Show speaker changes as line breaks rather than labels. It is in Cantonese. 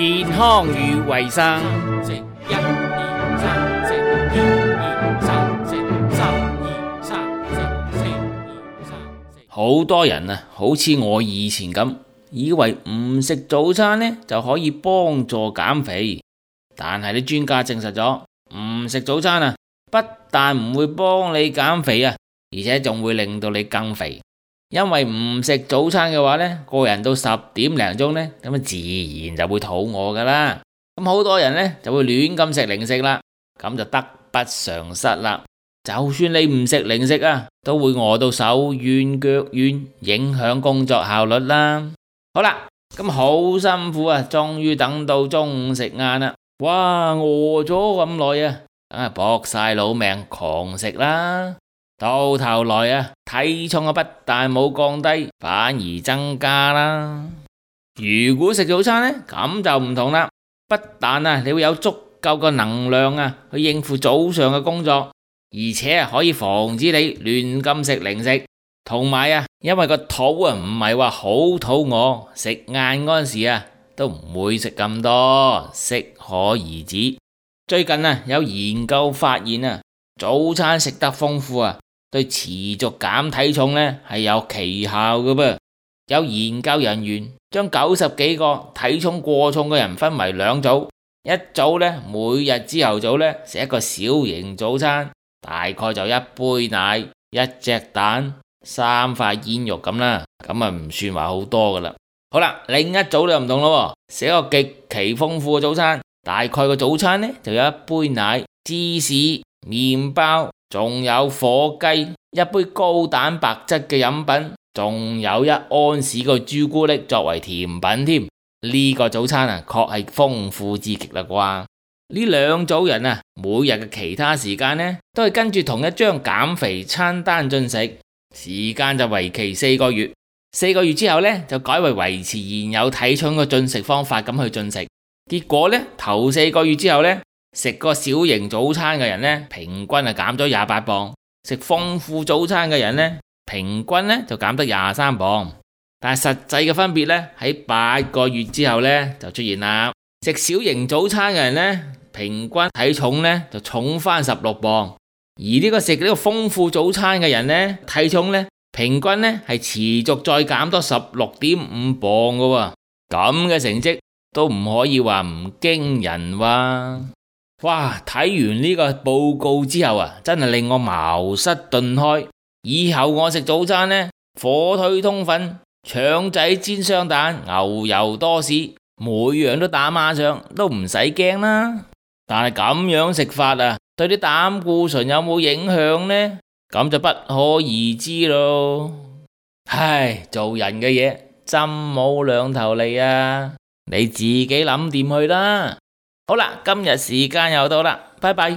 健康與衛生。
食一二三，食二二三，食三二三，食四二三。
好多人啊，好似我以前咁，以為唔食早餐呢就可以幫助減肥，但係啲專家證實咗，唔食早餐啊，不但唔會幫你減肥啊，而且仲會令到你更肥。因為唔食早餐嘅話呢，個人到10點零鐘呢，咁啊自然就會肚餓噶啦。咁好多人呢就會亂咁食零食啦，咁就得不償失啦。就算你唔食零食啊，都會餓到手軟腳軟，影響工作效率啦。好啦，咁好辛苦啊，終於等到中午食晏啦。哇，餓咗咁耐啊，梗係搏晒老命狂食啦。到頭來啊，體重啊不但冇降低，反而增加啦。如果食早餐呢，咁就唔同啦。不但啊，你會有足夠嘅能量啊，去應付早上嘅工作，而且啊可以防止你亂咁食零食。同埋啊，因為個肚啊唔係話好肚餓，食晏嗰陣時啊都唔會食咁多，適可而止。最近啊有研究發現啊，早餐食得豐富啊，對持續減體重呢係有奇效嘅噃。有研究人員將90幾個體重過重嘅人分為兩組，一組呢每日朝頭早呢食一個小型早餐，大概就一杯奶、一隻蛋、3塊煙肉咁啦，咁啊唔算話好多噶啦。好啦，另一組就唔同咯，食一個極其豐富嘅早餐，大概個早餐呢就有一杯奶、芝士、麵包，仲有火雞，一杯高蛋白質嘅飲品，仲有1安士嘅朱古力作為甜品添。呢個早餐啊，確係豐富至極啦啩。呢兩組人啊，每日嘅其他時間呢，都係跟住同一張減肥餐單進食，時間就為期4個月。4個月之後呢，就改為維持現有體重嘅進食方法咁去進食。結果呢，頭4個月之後呢，食個小型早餐嘅人呢，平均係減咗28磅；食豐富早餐嘅人呢，平均呢就減得23磅。但係實際嘅分別呢，喺8個月之後呢就出現啦。食小型早餐嘅人呢，平均體重呢就重返16磅，而呢個食呢個豐富早餐嘅人呢，體重呢平均呢係持續再減多16.5磅嘅喎。咁嘅成績都唔可以話唔驚人哇！哇！睇完呢個報告之後啊，真係令我茅塞頓開。以後我食早餐呢，火腿通粉、腸仔煎雙蛋、牛油多士，每樣都打孖上，都唔使驚啦。但係咁樣食法啊，對啲膽固醇有冇影響呢？咁就不可而知咯。唉，做人嘅嘢針冇兩頭利啊，你自己諗掂去啦。好啦，今日時間又到啦，拜拜。